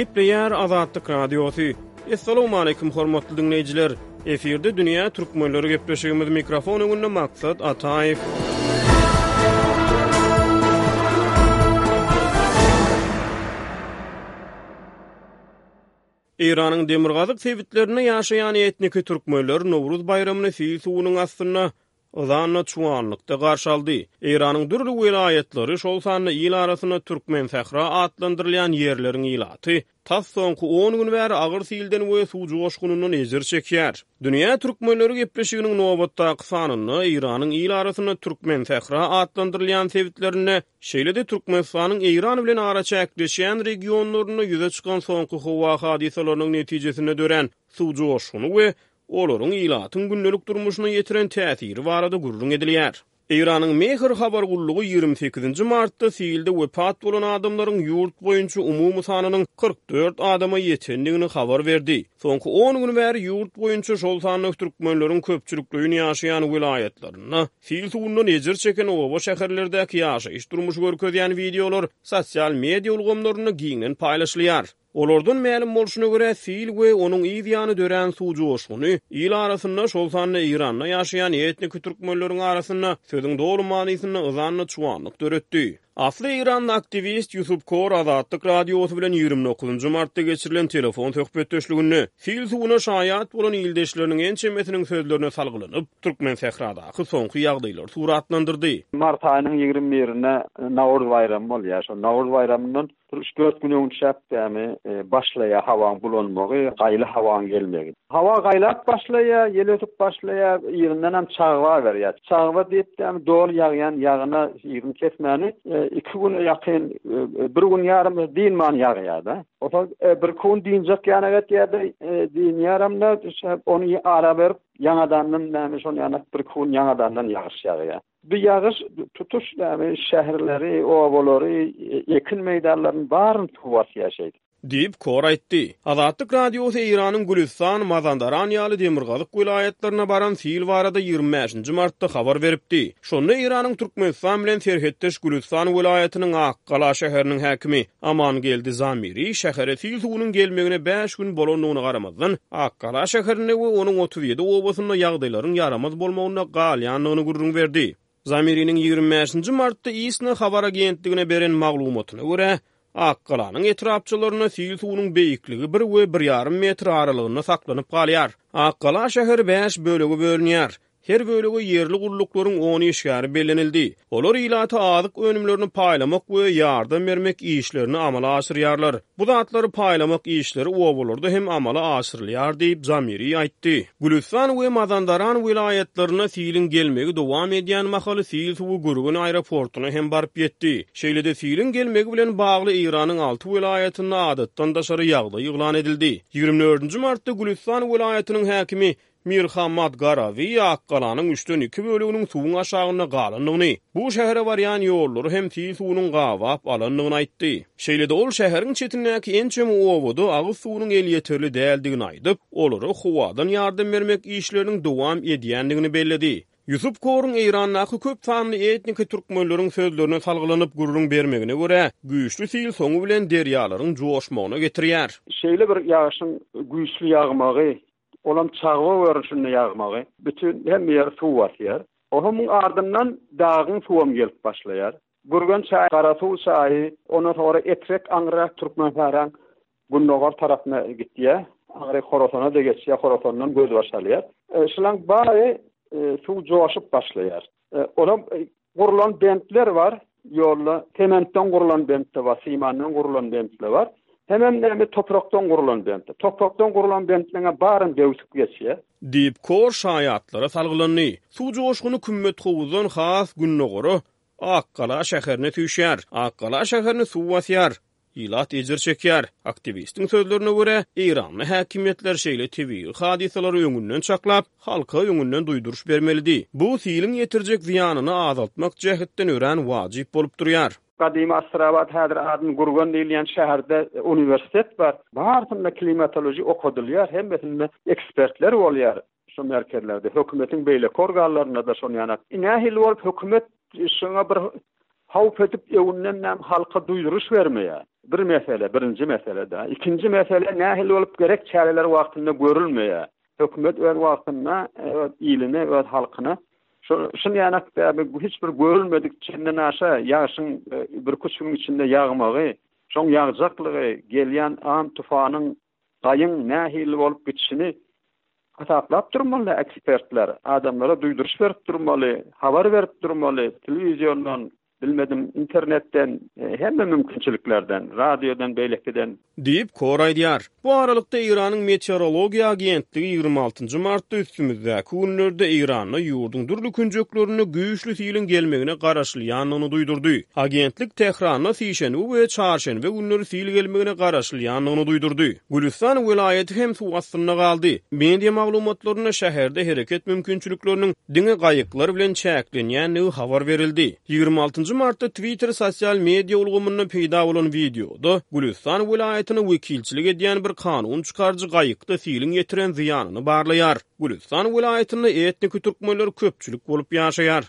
Gepleýär Azatlyk Radiosy. Assalamualaikum hormatly diňleýjiler. Efirde dünýä türkmenleri gepleşigimiz mikrofon öňünde Maksat Ataýew. Eýranyň demirgazyk sebitlerinde ýaşaýan etniki türkmenler Nowruz baýramyny sil suwunyň astynda, yzanda çuwanlykda garşy aldy. Eýranyň dürli welaýatlary, şol sanda il arasynda Türkmensähra atlandyrylýan ýerleriň ilaty tas soňky on gün bäri agyr silden we suw joşgunyndan ejir çekýär. Dünýä türkmenleri gepleşiginiň nobatdaky sanynda Eýranyň il arasynda Türkmensähra atlandyrylýan sebitlerinde Şeýle-de Türkmenistanyň Eýran bilen araçäkleşýän regionlarynda ýüze çykan soňky howa hadysalarynyň netijesinde dörän suw joşguny we olaryň ilatyň gündelik durmuşyna ýetiren täsiri barada gürrüň edilýär. Eýranyň Mehr habar gullugy 28-nji martda silde wepat bolan adamlaryň ýurt boýunça umumy sanynyň 44 adama ýetendigini habar berdi. Soňky on gün bäri ýurt boýunça, şol sanda türkmenleriň köpçülikleýin ýaşaýan welaýatlarynda sil suwundan ejir çeken oba-şäherlerdäki ýaşaýyş-durmuşy görkezýän wideolar sosial media ulgamlarynda giňden paýlaşylýar. Olardan mälim bolşuna görä, sil we onuň yz ýany dörän suw joşguny il arasynda, şol sanda Eýranda ýaşaýan etniki türkmenleriň arasynda sözüň doly manysynda yzanda çuwanlyk döretdi. Asly eýranly aktiwist Ýusup Kor Azatlyk Radiosy bilen 29-njy martda geçirilen telefon söhbetdeşliginde sil suwuna şaýat bolan ildeşleriniň ençemesiniň sözlerine salgylanyp, Türkmensähradaky soňky ýagdaýlary suratlandyrdy. Mart aýynyň 21-inde Nowruz baýramy bolýar. Şol Nowruz baýramyndan Bir üç-dört gün öňçäk dämi başlaýar hawaň bulanmagy, gaýly hawaň gelmegi. Hawa gaýlap başlaýar, ýel ösüp başlaýar, yzyndanam çagba berýär. Çagba diýip dämi doly ýagýan ýagyna yzyny kesmäni iki güne ýakyn, bir gün ýarym dynman ýagýar-da. Onsoň birki gün dynjak ýanak etýär-de, dynýaram-da, ony ara berip, ýaňadandan dämi şony ýanak birki gün ýaňadandan ýagyş ýagýar. Bu ýagyş tutuş näme şäherleri, obalary, ekin meýdanlaryny baryny suw basýar şeýdip. Diýip, Kor aýtdy. Azatlyk Radiosy Eýranyň Gülüstan, Mazandaran ýaly demirgazyk welaýatlaryna baran sil barada 25-nji martda habar beripdi. Şonda Eýranyň Türkmenistan bilen serhetdeş Gülüstan welaýatynyň Akgala şäheriniň häkimi Amangeldi Zamiri şähere sil suwunyň gelmegine bäş gün bolandygyna garamazdan, Akgala şäherinde we onuň 37 obasynda ýagdaýlaryň ýaramaz bolmagynda galýandygyny gürrüň berdi. Zamiriniň 25-nji martda ISNA habar agentligine beren maglumatyna görä, Akgalanyň etrapçalarynda sil suwunyň beýikligi bir we bir ýarym metr aralygynda saklanyp galýar. Akgala şäheri bäş bölege bölünýär. Her bölege ýerli gulluklaryň on işgäri bellenildi. Olar ilata azyk önümlerini paýlamak we ýardam bermek işlerini amala aşyrýarlar. Bu zatlary paýlamak işleri obalarda hem amala aşyrylýar diýip, Zamiri aýtdy. Gülüstan we Mazandaran welaýatlaryna siliň gelmegi dowam edýän mahaly sil suwy Gürgen aeroportuna hem baryp ýetdi. Şeýle-de siliň gelmegi bilen bagly Eýranyň alty welaýatynda adatdan daşary ýagdaý yglan edildi. 24-nji martda Gülüstan welaýatynyň häkimi Mirhammad Garawi Akgalanyň üçden iki böleginiň suwuň aşagynda galandygyny, bu şähere barýan ýollary hem sil suwunyň gabap alandygyny aýtdy. Şeýle-de ol şäheriň çetindäki ençeme obada agyz suwunyň elýeterli däldigini aýdyp, olara howadan ýardam bermek işleriniň dowam edýändigini belledi. Ýusup Koruň Eýrandaky köp sanly etniki türkmenleriň sözlerine salgylanyp gürrüň bermegine görä, güýçli sil soňy bilen derýalaryň joşmagyna getirýär. Şeýle bir ýagyşyň güýçli ýagmagy Olam çagba görnüşinde ýagmagy, bütin hemme ýeri suw basýar. Onuň ardyndan dagyň suwam gelip başlaýar. Gürgen çaýy, Garasuw çaýy, ondan soňra Etrek aňryrak Türkmensähraň gündogar tarapyna gitýär. Aňryk Horasana-da geçýär, Horasandan gözbaş alýar. Şulaň bary suw joşup başlaýar. Olam gurlan bentler bar ýolda, sementden gurlan bent-de bar, simandan gurlan bent-de bar. Hemem näme toprakdan gurlan bent. Toprakdan gurlan bentleňe baryny döwsüp geçýär. Diýip, Kor şaýatlara salgylandy. Suw joşguny Kümmethowuzdan has gündogara, Akgala şäherine süýşýär. Akgala şäherini suw basýar. Ilat ejir çekýär. Aktiwistiň sözlerine görä, eýranly häkimiýetler şeýle tebigy hadysalary öňünden çaklap, halka öňünden duýduryş bermelidi. Bu siliň ýetirjek zyýanyny azaltmak jähetden örän wajyp bolup durýar. Gadymy Astrabat, häzir adyny Gürgen diýilýän şäherde uniwersitet bar. Barsynda klimatoloji okadylýar, hemmesinde ekspertler bolýar şo merkezlerde, hökümetiň beýleki organlarynda-da şony ýanak. Nähili bolup hökümet şoňa bir. Howp edip öňünden näme halka duýduryş bermeýär. Bir mesele, birinji mesele-de. Ikinji mesele nähili bolup gerek çäreler wagtynda görülmeýär. Hökümet öz wagtynda öz iline, öz halkyna şo şun ýanak bäbi hiç bir görülmedik çenden aşa ýagşyň birküç günüň içinde ýagmagy, şoň ýagjaklygy, gelýän am-tufanyň, gaýyň nähili bolup gidişini hasaplap durmaly ekspertler. Adamlara duýduryş berip durmaly, habar berip durmaly, telewiziondan, Bilmedim, internetden, hemme mümkinçiliklerden, radiodan, beýlekiden. Diýip, Kor aýdýar. Bu aralykda, Eýranyň Meteorologiýa agentligi 26 nji martda üstümizdäki günlerde Eýranda ýurduň dürli künjeklerinde güýçli siliň gelmegine garaşylýandygyny duýdurdy. Agentlik Tähranda sişenbe we çarşenbe günleri sil gelmegine garaşylýandygyny duýdurdy. Gülüstan welaýaty hem suw astynda galdy. Media maglumatlarynda şäherde hereket mümkinçilikleriniň diňe gaýyklar bilen çäklenýändigi habar berildi. 26 martda Twitter sosial media ulgamynda peýda bolan wideoda Gülüstan welaýatyna wekilçilik edýän bir kanun çykaryjy gaýykda siliň ýetiren zyýanyny barlaýar. Gülüstan welaýatynda etniki türkmenler köpçülik bolup ýaşaýar.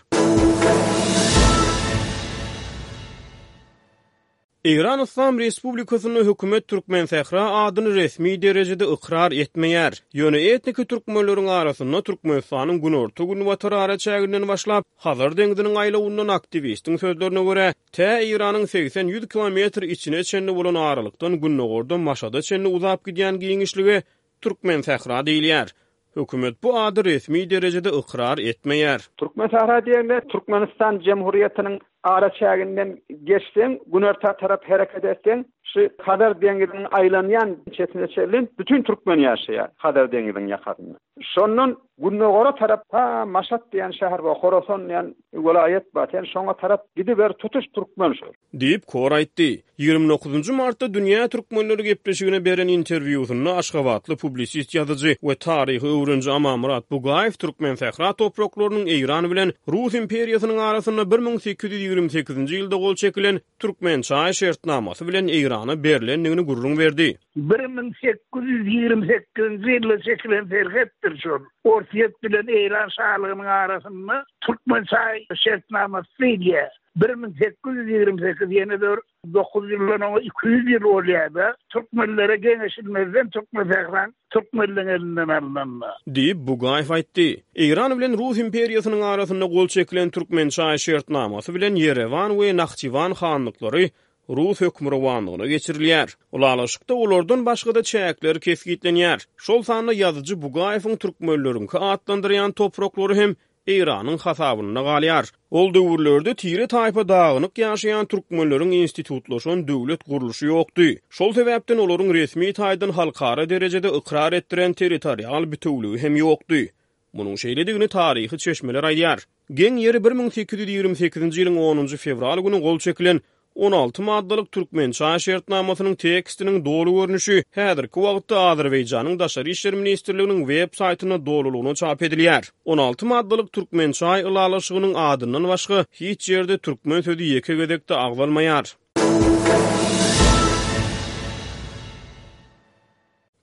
Eýran Yslam Respublikasynda hökümet Türkmensähra adyny resmi derejede ykrar etmeýär. Ýöne etniki türkmenleriň arasynda Türkmenistanyň günorta-günbatar araçäginden başlap, Hazar deňziniň aýlawyndan aktiwistiň sözlerine görä, tä Eýranyň 80-ýüz kilometr içine çenli bolan aralykdan gündogarda Maşada çenli uzap gidýän giňişlige Türkmensähra diýilýär. Hökümet bu ady resmi derejede ykrar etmeýär. Türkmensähra diýende Türkmenistan Jemhuriýetiniň araçäginden geçseň, günorta tarap hereket etseň, şu Hazar deňziniň aýlanýan çetine çenli bütin türkmen ýaşaýar Hazar deňziniň ýakasynda. Şondan gündogara tarap ta Maşat diýen şäher bar, Horasan diýen welaýat bar, sen şoňa tarap gidiber tutuş türkmen şol. Diýip, Kor aýtdy. 29 martda Dünýä türkmenleri gepleşigine beren interwýusynda aşgabatly publisist ýazyjy we taryhy öwreniji Amanmyrat Bugaýew Türkmensähra topraklarynyň Eýran bilen Rus imperiýasynyň arasynda 1828-nji ýylda gol çekilen Türkmençaý şertnamasy bilen Eýrana berlendigini gürrüň berdi. 1828-nji ýylda çekilen serhetdir şol. Orsýet bilen Eýran şalygynyň arasynda Türkmençaý şertnamasy diýilýär. 1828 ýene-de bir 9 ýyldan oňa 200 ýyl bolýar-da, türkmenlere geňeşilmezden Türkmensähraň türkmenleň elinden alnanda. Diýip, Bugaýew aýtdy. Eýran bilen Rus imperiýasynyň arasynda gol çekilen Türkmençaý şertnamasy bilen Ýerewan we Nahçywan hanlyklary rus hökmürowanlygyna geçirilýär. Ylalaşykda olardan başga-da çäkler kesgitlenýär. Şol sanda ýazyjy Bugaýewiň türkmenleriňki atlandyrýan topraklary hem Eýranyň hasabynda galýar. Ol döwürlerde tire-taýpa dagynyk ýaşaýan türkmenleriň institutlaşan döwlet gurluşy ýokdy. Şol sebäpden olaryň resmi taýdan halkara derejede ykrar etdiren territorial bitewüligi hem ýokdy. Munuň şeýledigini taryhy çeşmeler aýdýar. Geň ýeri 1828-nji ýylyň onunjy fewral güni gol çekilen 16 maddalyk Türkmençaý şertnamasynyň tekstiniň doly görnüşi häzirki wagtda Azerbaýjanyň Daşary işler ministrliginiň web saýtynda dolulygyna çap edilýär. 16 maddalyk Türkmençaý ylalaşygynyň adyndan başga hiç ýerde türkmen sözi ýeke gezek-de agzalmaýar.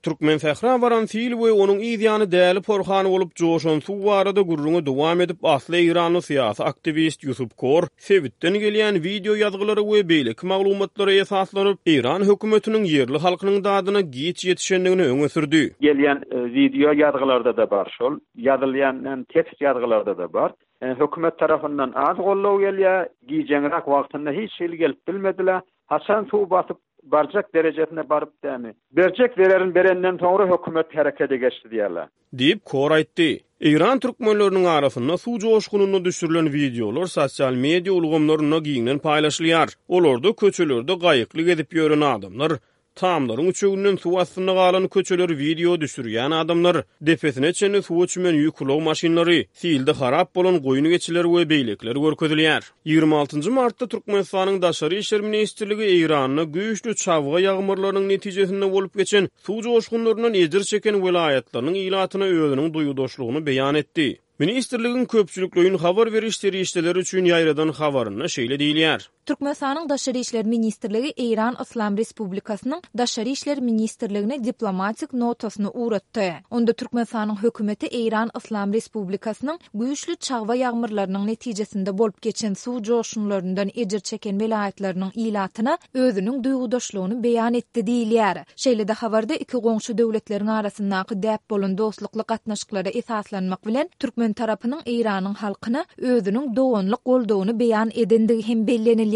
Türkmensähra baran sil we onuň yz ýany däli porhan bolup joşan suw barada gürrüňi dowam edip, asly eýranly syýasy aktiwist Ýusup Kor sebitden gelýän wideo ýazgylara we beýleki maglumatlara esaslanyp, eýran hökümetiniň ýerli halkynyň dadyna giç ýetişendigini öňe sürdi. Gelýän wideo ýazgylarda-da bar şol, ýazylýan tekst ýazgylarda-da bar. Hökümet tarapyndan az goldaw gelýär, gijeňräk wagtynda hiç hili gelip bilmediler. Haçan suw basyp barjak derejesine baryp dämi? Berjek zererini berenden soňra hökümet herekede geçdi diýýärler. Diýip, Kor aýtdy. Eýran türkmenleriniň arasynda suw joşgunynda düşürilen wideolar sosial media ulgamlarynda giňden paýlaşylýar. Olarda köçelerde gaýykly gezip ýören adamlar, Tamlaryň üçeginden suw astynda galan köçeleri wideo düşürýän adamlar, depesine çenli suwa çümen ýük ulag maşynlary, silde harap bolan goýun-geçiler we beýlekiler görkezilýär. 26 martda Türkmenistanyň Daşary işler ministrligi Eýranda güýçli çabga ýagmyrlarynyň netijesinde bolup geçen suw joşgunlaryndan ejir çeken welaýatlarynyň ilatyna özüniň duýgudaşlygyny beýan etdi. Ministrligiň köpçülikleýin habar beriş serişdeleri üçin ýaýradan habarynda şeýle diýilýär. Türkmenistanyň Daşary işler ministrligi Eýran Yslam Respublikasynyň Daşary işler ministrligine diplomatik notasyny ugratdy. Onda Türkmenistanyň Hökümeti Eýran Yslam Respublikasynyň güýçli çagba ýagmyrlarynyň netijesinde bolup geçen suw joşgunlaryndan ejir çeken welaýatlarynyň ilatyna özüniň duýgudaşlygyny beýan etdi diýilýär. Şeýle-de habarda iki goňşy döwletleriň arasyndaky däp bolan dostlukly gatnaşyklara esaslanmak bilen, türkmen tarapynyň Eýranyň halkyna özüniň doganlyk goldawyny beýan edendigi hem bellenilýär.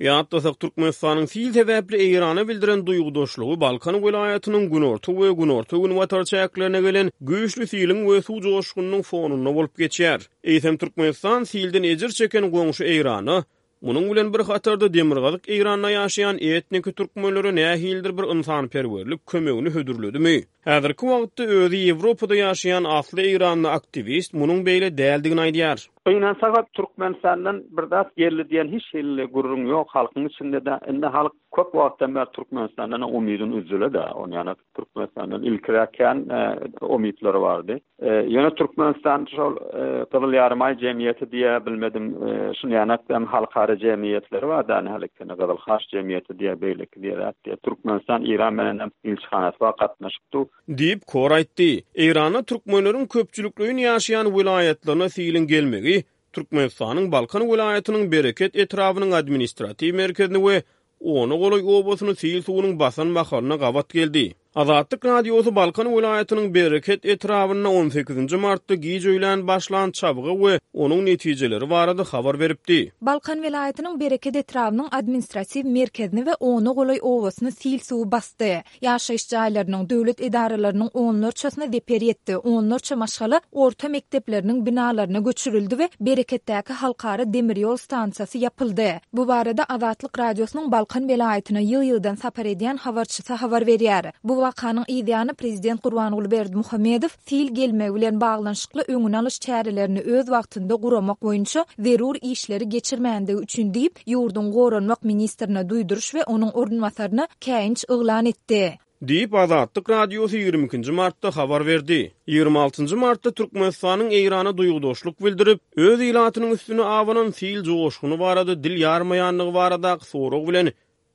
Ýatlasak, Türkmenistanyň sil sebäpli Eýrana bildiren duýgudaşlygy Balkan welaýatynyň günorta we günorta-günbatar çäklerine gelen güýçli siliň we suw joşgunynyň fonunda bolup geçýär. Eýsem, Türkmenistan silden ejir çeken goňşy Eýrana, munuň bilen bir hatarda demirgazyk Eýranda ýaşaýan etniki türkmenlere nähilidir bir ynsanperwerlik kömegini hödürledimi? Häzirki wagtda özi Ýewropada ýaşaýan asly eýranly aktiwist munuň beýle däldigini aýdýar. Gynansagam Türkmenistandan bir zat geldi diýen hiç hili gürrüň ýok halkyň içinde-de. Indi halk köp wagtdan bäri Türkmenistandan umydyny üzdüle-de. Ony ýa Türkmenistandan ilkiräk kän umytlary bardy. Ýöne Türkmenistan şol Gyzyl Ýarymaý jemgyýeti diýä bilmedim, şunýanak hem halkara jemgyýetleri bar da hälekini Gyzyl Haç jemgyýeti diýä beýleki diýä zat diýä. Türkmenistan Eýran bilen hem ilçihanasy bar gatnaşyk dur. Diýip, Kor aýtdy. Eýranda türkmenleriň köpçülikleýin ýaşaýan welaýatlaryna siliň gelmegi Türkmenistanyň Balkan welaýatynyň Bereket etrabynyň administratiw merkezini we ona golaý obasyny sil suwunyň basan mahalyna gabat geldi. Azatlyk Radiosy Balkan welaýatynyň Bereket etrabynda on sekizinji martda giç öýlän başlan çabga we onuň netijeleri barada habar beripdi. Balkan welaýatynyň Bereket etrabynyň administratiw merkezini we ona golaý obasyny sil suwy basdy. Ýaşaýyş jaýlarynyň, döwlet edaralarynyň onlarçasyna zeper ýetdi, onlarça maşgala orta mekdepleriniň binalaryna göçürildi we Bereketdäki halkara demir ýol stansiýasy ýapyldy. Bu barada Azatlyk Radiosynyň Balkan welaýatyna ýygy-ýygydan sapar edýän habarçysy habar berýär. Bu wakanyň yzýany prezident Gurbanguly Berdimuhamedow sil gelmegi bilen baglanyşykly öňüni alyş çärelerini öz wagtynda guramak boýunça zerur işleri geçirmändigi üçin diýip, ýurduň goranmak ministrine duýduryş we onuň orunbasaryna käýinç yglan etdi. Diýip, Azatlyk Radiosy 22 nji martda habar berdi. 26 njy martda Türkmenistanyň Eýrana duýgudaşlyk bildirip, öz ilatynyň üstüne abanan sil joşguny barada dil ýarmaýandygy baradaky sorag bilen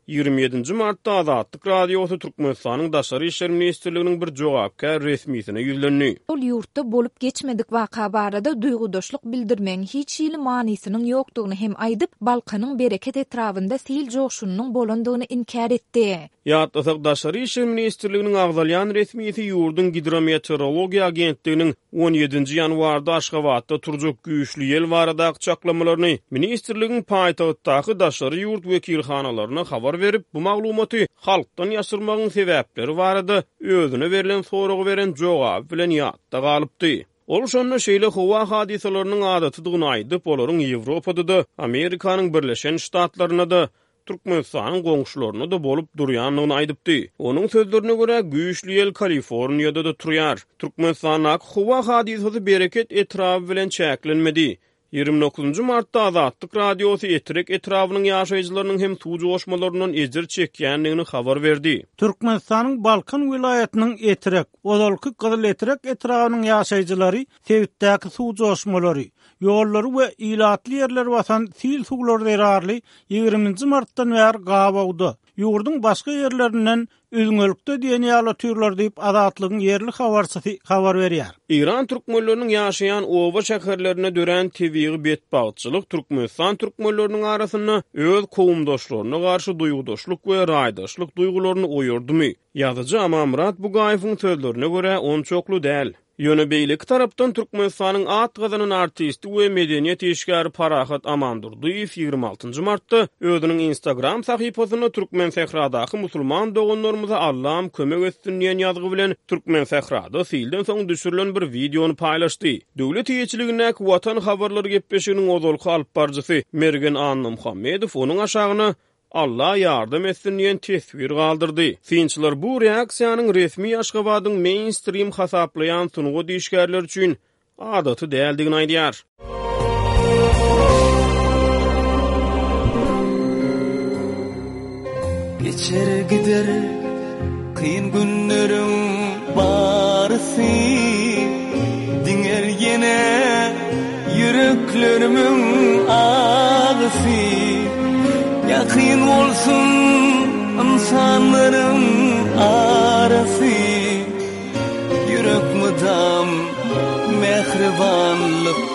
27 nji martda Azatlyk Radiosy Türkmenistanyň Daşary işler ministrliginiň bir jogapkär resmisine ýüzlendi. Ol ýurtda bolup geçmedik waka barada duýgudaşlyk bildirmegiň hiç hili manysynyň ýokdugyny hem aýdyp, Balkanyň Bereket etrabynda sil joşgunynyň bolandygyny inkär etdi. Ýatlasak, Daşary işler ministrliginiň agzalýan resmisi ýurduň Gidrometeorologiýa agentliginiň on ýedinji ýanwarda Aşgabatda turjak güýçli ýel baradaky çaklamalaryny ministrligiň paýtagtdaky daşary ýurt wekilhanalaryna habar berip, bu maglumaty halkdan ýaşyrmagyň sebäpleri barada özüne berlen soraga beren jogaby bilen ýatda galypdy. Ol şonda şeýle howa hadysalarynyň adatydygyny aýdyp, olaryň Ýewropada-da, Amerikanyň Birleşen Ştatlarynda-da, Türkmenistanyň goňşularynda-da bolup durýandygyny aýdypdy. Onuň sözlerine görä, güýçli ýel Kaliforniýada-da turýar. Türkmenistandaky howa hadysasy Bereket etraby bilen çäklenmedi. 29 martda Azatlyk Radiosy Etrek etrabynyň ýaşaýjylarynyň hem suw joşmalaryndan ejir çekýändigini habar berdi. Türkmenistanyň Balkan welaýatynyň Etrek, ozalky Gyzyletrek etrabynyň ýaşaýjylary sebitdäki suw joşmalary, ýollary we ilatly ýerleri basan sil suwlary zerarly ýigriminji martdan bäri gabawda, ýurduň başga ýerlerinden üzňelikde diýen ýaly otyrlar diýip, Azatlygyň ýerli habarçysy habar berýär. Eýran türkmenleriniň ýaşaýan oba-şäherlerinde dörän tebigy betbagtçylyk Türkmenistan türkmenleriniň arasynda öz kowumdaşlaryna garşy duýgudaşlyk we raýdaşlyk duýgularyny oýardymy? Ýazyjy Amanmyrat Bugaýewiň sözlerine görä, onçakly däl. Ýöne beýleki tarapdan Türkmenistanyň at gazanan artisti we medeniýet işgäri Parahat Amandurdyýew 26 martda özüniň Instagram sahypasynda Türkmensähradaky musulman doganlarymyza Allam kömek etsin diýen ýazgy bilen Türkmensährada silden soň düşürilen bir wideony paýlaşdy. Döwlet eýeçiligindäki Watan habarlary gepleşiginiň ozalky alypbaryjysy Mergen Annamuhammedow onuň aşagyna Alla ýardam etsin diýen teswir galdyrdy. Synçylar bu reaksiýanyň resmi Aşgabadyň meýnstrim hasaplaýan sungat işgärleri üçin adaty däldigini aýdýar. Geçer gider kyn günleriň barysy Diňer ýene ýüreklerimiň agysy. Ýakyn bolsun ynsanlaryň arasy, Ýürek mydam mähribanlyk.